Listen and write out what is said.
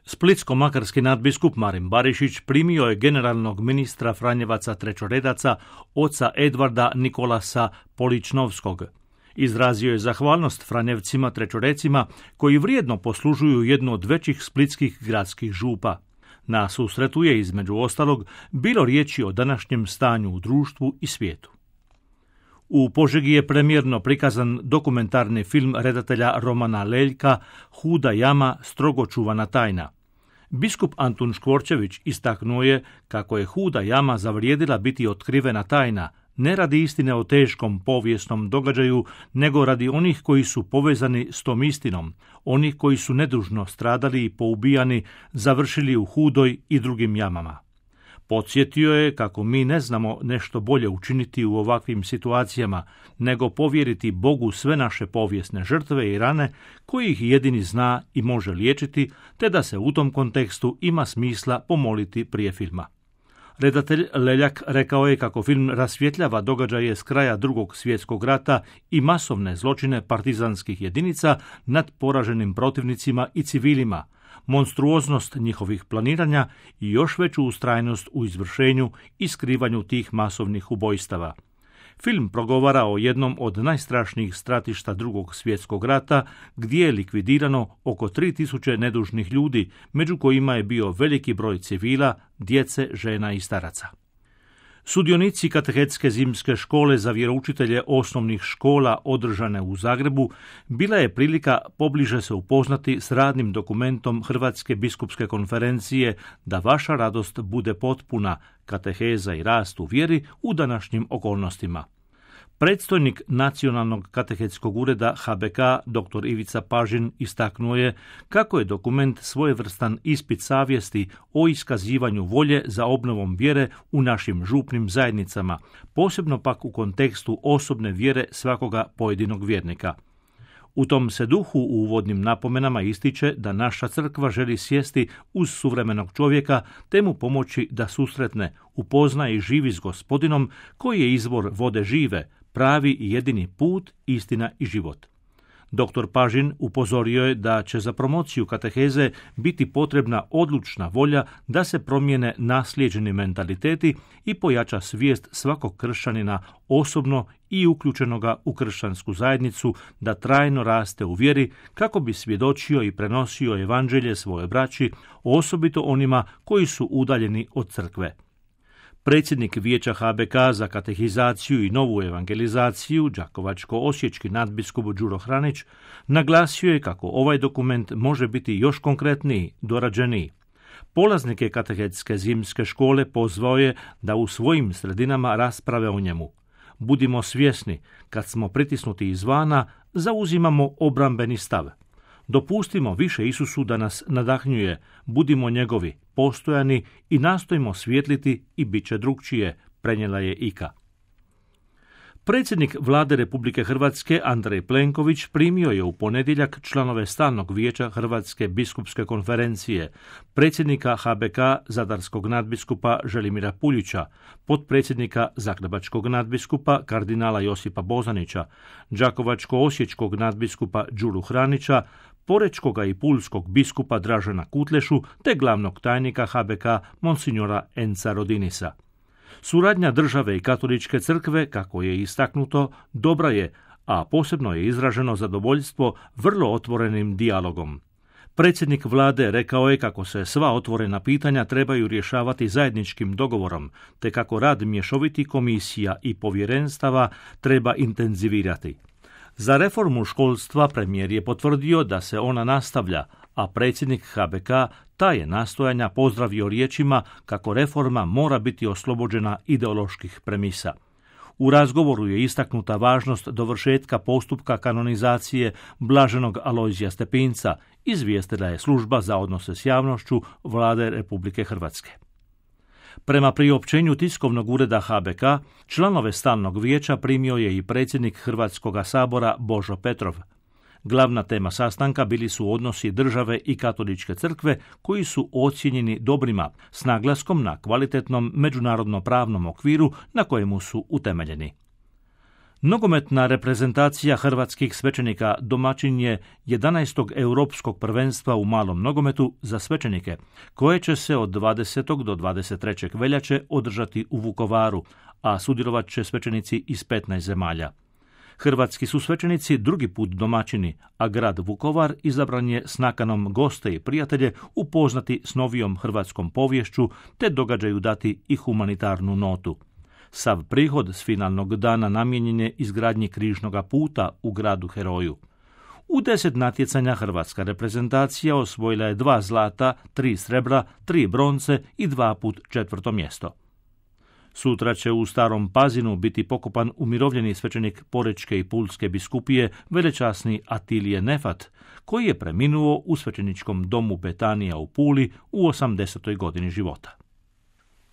Splitsko-makarski nadbiskup Marin Barišić primio je generalnog ministra Franjevaca trećoredaca, oca Edvarda Nikolasa Poličnovskog. Izrazio je zahvalnost Franjevcima trećorecima koji vrijedno poslužuju jednu od većih splitskih gradskih župa. Na susretu je između ostalog bilo riječi o današnjem stanju u društvu i svijetu. U Požegi je premijerno prikazan dokumentarni film redatelja Romana Leljka Huda jama, strogo čuvana tajna. Biskup Antun Škvorčević istaknuo je kako je Huda jama zavrijedila biti otkrivena tajna, ne radi istine o teškom povijesnom događaju, nego radi onih koji su povezani s tom istinom, onih koji su nedužno stradali i poubijani, završili u Hudoj i drugim jamama. Podsjetio je kako mi ne znamo nešto bolje učiniti u ovakvim situacijama, nego povjeriti Bogu sve naše povijesne žrtve i rane, koji ih jedini zna i može liječiti, te da se u tom kontekstu ima smisla pomoliti prije filma. Redatelj Leljak rekao je kako film rasvjetljava događaje s kraja Drugog svjetskog rata i masovne zločine partizanskih jedinica nad poraženim protivnicima i civilima, monstruoznost njihovih planiranja i još veću ustrajnost u izvršenju i skrivanju tih masovnih ubojstava. Film progovara o jednom od najstrašnijih stratišta Drugog svjetskog rata, gdje je likvidirano oko 3000 nedužnih ljudi, među kojima je bio veliki broj civila, djece, žena i staraca. Sudionici katehetske zimske škole za vjeroučitelje osnovnih škola održane u Zagrebu bila je prilika pobliže se upoznati s radnim dokumentom Hrvatske biskupske konferencije Da vaša radost bude potpuna, kateheza i rast u vjeri u današnjim okolnostima. Predstojnik Nacionalnog katehetskog ureda HBK, dr. Ivica Pažin, istaknuo je kako je dokument svojevrstan ispit savjesti o iskazivanju volje za obnovom vjere u našim župnim zajednicama, posebno pak u kontekstu osobne vjere svakoga pojedinog vjernika. U tom se duhu u uvodnim napomenama ističe da naša crkva želi sjesti uz suvremenog čovjeka te mu pomoći da susretne, upozna i živi s Gospodinom koji je izvor vode žive, pravi i jedini put, istina i život. Dr. Pažin upozorio je da će za promociju kateheze biti potrebna odlučna volja da se promijene naslijeđeni mentaliteti i pojača svijest svakog kršćanina osobno i uključenoga u kršćansku zajednicu da trajno raste u vjeri kako bi svjedočio i prenosio evanđelje svojoj braći, osobito onima koji su udaljeni od crkve. Predsjednik Vijeća HBK za katehizaciju i novu evangelizaciju, đakovačko-osječki nadbiskup Đuro Hranić, naglasio je kako ovaj dokument može biti još konkretniji, dorađeniji. Polaznike katehetske zimske škole pozvao je da u svojim sredinama rasprave o njemu. Budimo svjesni, kad smo pritisnuti izvana, zauzimamo obrambeni stav. Dopustimo više Isusu da nas nadahnjuje, budimo njegovi, postojani i nastojimo svijetliti i bit će drukčije, prenijela je Ika. Predsjednik Vlade Republike Hrvatske Andrej Plenković primio je u ponedjeljak članove Stalnog vijeća Hrvatske biskupske konferencije, predsjednika HBK zadarskog nadbiskupa Želimira Puljića, potpredsjednika zagrebačkog nadbiskupa kardinala Josipa Bozanića, đakovačko-osječkog nadbiskupa Đuru Hranića, porečkoga i pulskog biskupa Dražena Kutlešu te glavnog tajnika HBK monsinjora Enza Rodinisa. Suradnja države i katoličke crkve, kako je istaknuto, dobra je, a posebno je izraženo zadovoljstvo vrlo otvorenim dijalogom. Predsjednik vlade rekao je kako se sva otvorena pitanja trebaju rješavati zajedničkim dogovorom, te kako rad mješovitih komisija i povjerenstava treba intenzivirati. Za reformu školstva premijer je potvrdio da se ona nastavlja, a predsjednik HBK ta je nastojanja pozdravio riječima kako reforma mora biti oslobođena ideoloških premisa. U razgovoru je istaknuta važnost dovršetka postupka kanonizacije blaženog Alojzija Stepinca, izvijestila je služba za odnose s javnošću Vlade Republike Hrvatske. Prema priopćenju tiskovnog ureda HBK, članove Stalnog vijeća primio je i predsjednik Hrvatskoga sabora Božo Petrov. Glavna tema sastanka bili su odnosi države i katoličke crkve koji su ocijenjeni dobrima, s naglaskom na kvalitetnom međunarodno-pravnom okviru na kojemu su utemeljeni. Nogometna reprezentacija hrvatskih svećenika domaćin je 11. europskog prvenstva u malom nogometu za svećenike, koje će se od 20. do 23. veljače održati u Vukovaru, a sudjelovat će svećenici iz 15 zemalja. Hrvatski su svećenici drugi put domaćini, a grad Vukovar izabran je s nakanom goste i prijatelje upoznati s novijom hrvatskom poviješću te događaju dati i humanitarnu notu. Sav prihod s finalnog dana namijenjen je izgradnji križnoga puta u gradu heroju. U 10 natjecanja hrvatska reprezentacija osvojila je 2 zlata, 3 srebra, 3 bronce i 2 put 4. mjesto. Sutra će u Starom Pazinu biti pokopan umirovljeni svećenik Porečke i Pulske biskupije velečasni Atilije Nefat, koji je preminuo u svećeničkom domu Betanija u Puli u 80. godini života.